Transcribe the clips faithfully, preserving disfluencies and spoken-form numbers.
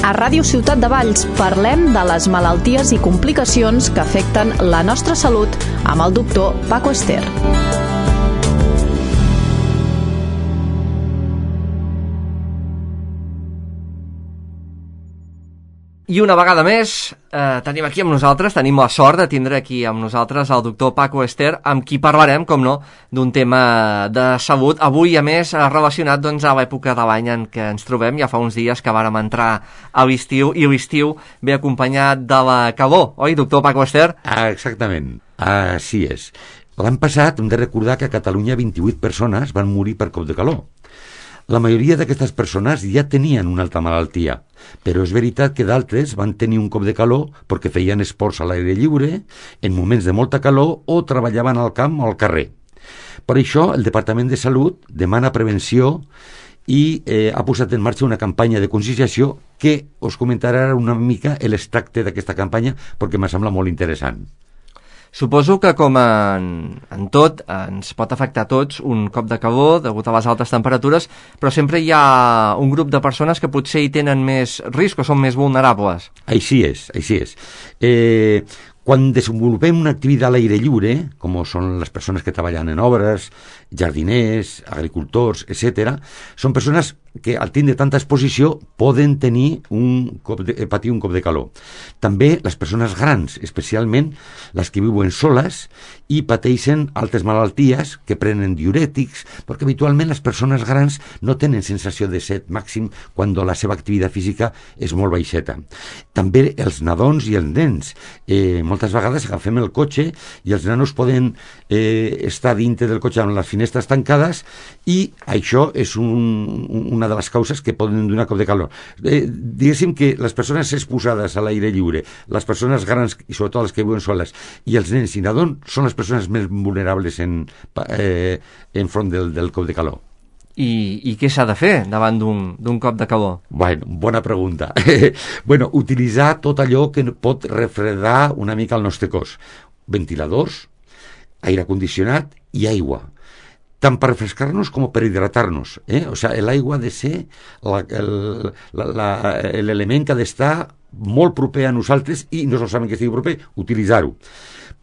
A Ràdio Ciutat de Valls parlem de les malalties i complicacions que afecten la nostra salut amb el doctor Paco Ester. I una vegada més, eh, tenim aquí amb nosaltres, tenim la sort de tindre aquí amb nosaltres el doctor Paco Ester, amb qui parlarem, com no, d'un tema de salut. Avui, a més, relacionat doncs, a l'època de l'any en què ens trobem. Ja fa uns dies que vàrem entrar a l'estiu, i l'estiu ve acompanyat de la calor, oi, doctor Paco Ester? Ah, exactament, així és. L'any passat hem de recordar que a Catalunya vint-i-vuit persones van morir per cop de calor. La majoria d'aquestes persones ja tenien una altra malaltia, però és veritat que d'altres van tenir un cop de calor perquè feien esports a l'aire lliure, en moments de molta calor o treballaven al camp o al carrer. Per això, el Departament de Salut demana prevenció i eh, ha posat en marxa una campanya de conscienciació que us comentarà una mica l'extracte d'aquesta campanya perquè m'ha semblat molt interessant. Suposo que, com en, en tot, ens pot afectar a tots un cop de calor degut a les altes temperatures, però sempre hi ha un grup de persones que potser hi tenen més risc o són més vulnerables. Així és, així és. Eh, quan desenvolupem una activitat a l'aire lliure, com són les persones que treballen en obres, jardiners, agricultors, etcètera, són persones que al tindre tanta exposició poden tenir un cop de, patir un cop de calor. També les persones grans, especialment les que viuen soles i pateixen altres malalties que prenen diurètics, perquè habitualment les persones grans no tenen sensació de set màxim quan la seva activitat física és molt baixeta. També els nadons i els nens. Eh, moltes vegades agafem el cotxe i els nanos poden eh, estar dintre del cotxe amb les finestres tancades i això és un, una de les causes que poden donar cop de calor. Eh, diguéssim que les persones exposades a l'aire lliure, les persones grans i sobretot les que viuen soles i els nens i nadons són les persones més vulnerables en, eh, en front del, del cop de calor. I, i què s'ha de fer davant d'un cop de calor? Bueno, bona pregunta. bueno, utilitzar tot allò que pot refredar una mica el nostre cos. Ventiladors, aire condicionat i aigua. Tant per refrescar-nos com per hidratar-nos. Eh? O sigui, l'aigua ha de ser l'element que ha d'estar molt proper a nosaltres i no solament que estigui proper, utilitzar-ho.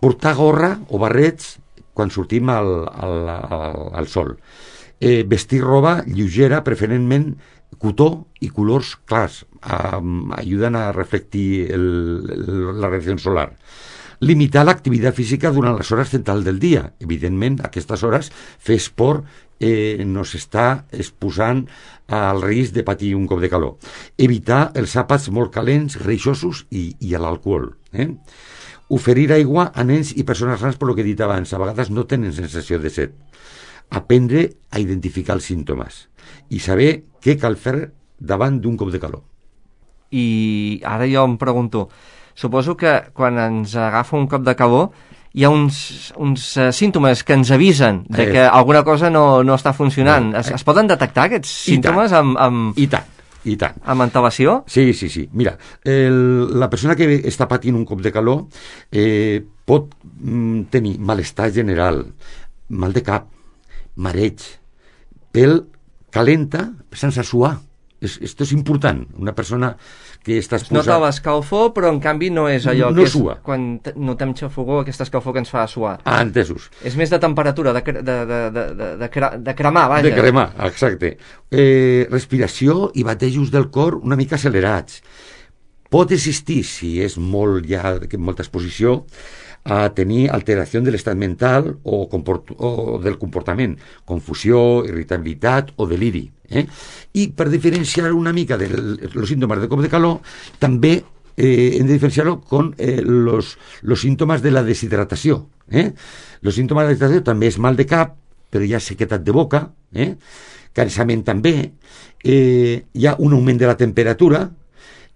Portar gorra o barrets quan sortim al, al, al, al sol. Eh, vestir roba lleugera, preferentment cotó i colors clars. Um, ajuden a reflectir el, el, la radiació solar. Limitar l'activitat física durant les hores centrals del dia. Evidentment, a aquestes hores, fer esport eh, no s'està exposant al risc de patir un cop de calor. Evitar els àpats molt calents, greixosos i, i l'alcohol. Eh? Oferir aigua a nens i persones grans, per lo que he dit abans. A vegades no tenen sensació de set. Aprendre a identificar els símptomes i saber què cal fer davant d'un cop de calor. I ara jo em pregunto, suposo que quan ens agafa un cop de calor hi ha uns, uns uh, símptomes que ens avisen de que alguna cosa no, no està funcionant. Es, es poden detectar aquests símptomes amb, amb, I tant, i tant. amb antelació? Sí, sí, sí. Mira, el, la persona que està patint un cop de calor eh, pot mm, tenir malestar general, mal de cap, mareig, pèl calenta sense suar. Es, esto és important. Una persona que està exposada... Es nota l'escalfor, però en canvi no és allò no que és sua. Quan notem xafogor, aquesta escalfor que ens fa suar. Ah, entesos. És més de temperatura, de, de, de, de, de, de, cre de cremar, vaja. De cremar, exacte. Eh, respiració i batejos del cor una mica accelerats. Pot existir, si és molt ja, molta exposició, a tenir alteració de l'estat mental o, o del comportament, confusió, irritabilitat o deliri. Eh? I per diferenciar una mica dels símptomes de cop de calor, també eh, hem de diferenciar-ho con eh, los, los síntomes de la deshidratació. Eh? Los símptomes de la deshidratació també és mal de cap, però hi ha sequedat de boca, eh? cansament també, eh, hi ha un augment de la temperatura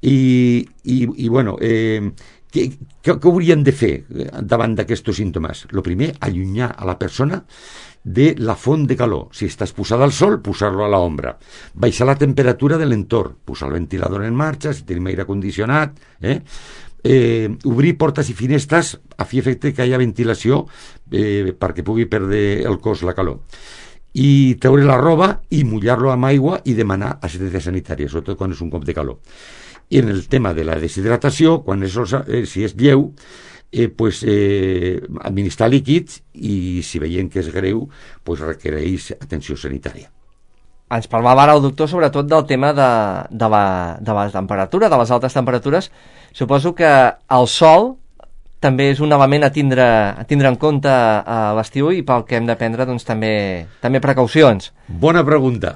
i, i, i bueno... Eh, Què, què, què hauríem de fer davant d'aquests símptomes? El primer, allunyar a la persona de la font de calor. Si està exposada al sol, posar-lo a l'ombra. Baixar la temperatura de l'entorn, posar el ventilador en marxa, si tenim aire condicionat, eh? Eh, obrir portes i finestres a fi efecte que hi ha ventilació eh, perquè pugui perdre el cos la calor. i treure la roba i mullar-lo amb aigua i demanar assistència sanitària, sobretot quan és un cop de calor. I en el tema de la deshidratació, quan és, eh, si és lleu, eh, pues, eh, administrar líquids i si veiem que és greu, pues, requereix atenció sanitària. Ens parlava ara el doctor sobretot del tema de, de, la, de la temperatura, de les altes temperatures. Suposo que el sol també és un element a tindre, a tindre en compte a l'estiu i pel que hem de prendre doncs, també, també precaucions. Bona pregunta.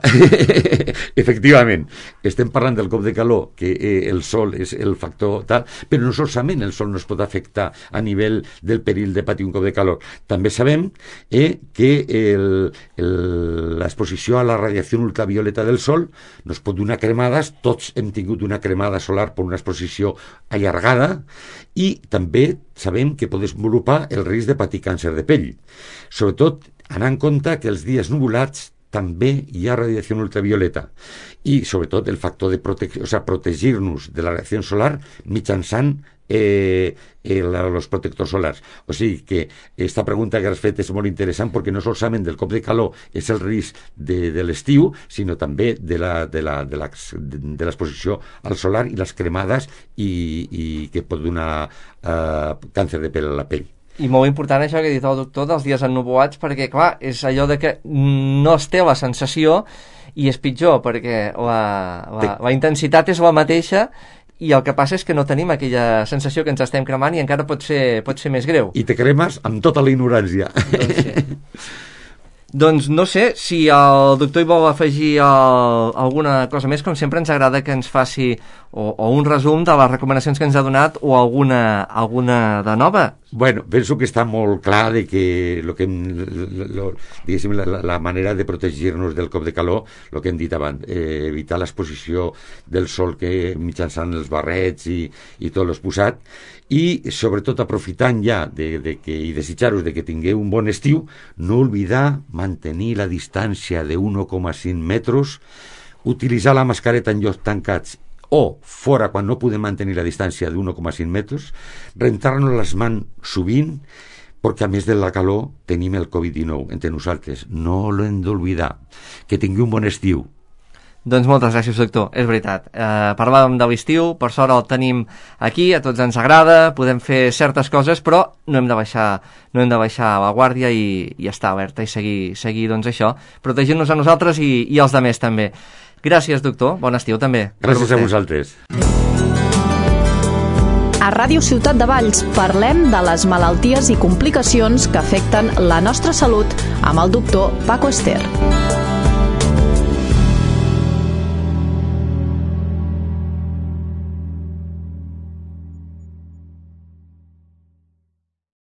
Efectivament, estem parlant del cop de calor, que eh, el sol és el factor tal, però no solament el sol no es pot afectar a nivell del perill de patir un cop de calor. També sabem eh, que l'exposició a la radiació ultravioleta del sol nos pot donar cremades. Tots hem tingut una cremada solar per una exposició allargada i també sabem que pot desenvolupar el risc de patir càncer de pell. Sobretot, anar en compte que els dies nuvolats també hi ha radiació ultravioleta i sobretot el factor de prote- o sea, protegir-nos de la radiació solar mitjançant eh, els protectors solars. O sigui que aquesta pregunta que has fet és molt interessant perquè no solament del cop de calor és el risc de, de l'estiu, sinó també de la, de la, de la, de l'exposició al solar i les cremades i, i que pot donar eh, càncer de pell a la pell. I molt important això que ha dit el doctor dels dies ennuvolats, perquè clar, és allò de que no es té la sensació i és pitjor perquè la, la, la intensitat és la mateixa i el que passa és que no tenim aquella sensació que ens estem cremant i encara pot ser, pot ser més greu. I te cremes amb tota la ignorància. Doncs sí. Doncs no sé si el doctor hi vol afegir el, alguna cosa més. Com sempre ens agrada que ens faci o, o un resum de les recomanacions que ens ha donat o alguna, alguna de nova. Bueno, penso que està molt clar de que, lo que lo, diguéssim, la, la manera de protegir-nos del cop de calor, el que hem dit abans, eh, evitar l'exposició del sol que mitjançant els barrets i, i tot l'exposat, i sobretot aprofitant ja de, de que, i desitjar-vos de que tingueu un bon estiu, no oblidar mantenir la distància de un coma cinc metres, utilitzar la mascareta en llocs tancats o fora quan no podem mantenir la distància d'un coma cinc metres, rentar-nos les mans sovint, perquè a més de la calor tenim el covid dinou entre nosaltres. No l'hem d'oblidar. Que tingui un bon estiu. Doncs moltes gràcies, doctor, és veritat. Eh, parlàvem de l'estiu, per sort el tenim aquí, a tots ens agrada, podem fer certes coses, però no hem de baixar, no hem de baixar la guàrdia i, i estar alerta i seguir, seguir doncs això, protegint-nos a nosaltres i, i els demés també. Gràcies, doctor, bon estiu també. Gràcies a vosaltres. A Ràdio Ciutat de Valls parlem de les malalties i complicacions que afecten la nostra salut amb el doctor Paco Ester.